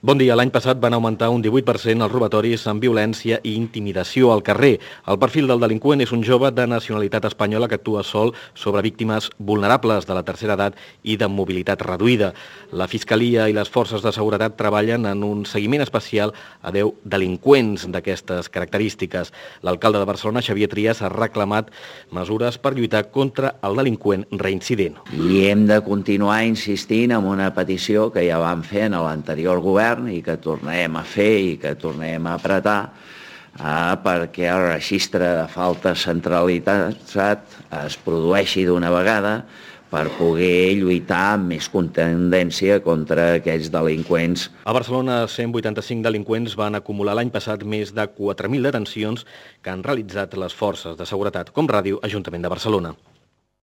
Bon dia. L'any passat van augmentar un 18% els robatoris amb violència i intimidació al carrer. El perfil del delinqüent és un jove de nacionalitat espanyola que actua sol sobre víctimes vulnerables de la tercera edat i de mobilitat reduïda. La Fiscalia i les forces de seguretat treballen en un seguiment especial a 10 delinqüents d'aquestes característiques. L'alcalde de Barcelona, Xavier Trias, ha reclamat mesures per lluitar contra el delinqüent reincident. I hem de continuar insistint en una petició que ja vam fer en l'anterior govern i que tornarem a fer i que tornarem a apretar perquè el registre de faltes centralitzat es produeixi d'una vegada per poder lluitar amb més contundència contra aquells delinqüents. A Barcelona, 185 delinqüents van acumular l'any passat més de 4.000 detencions que han realitzat les forces de seguretat, com Ràdio Ajuntament de Barcelona.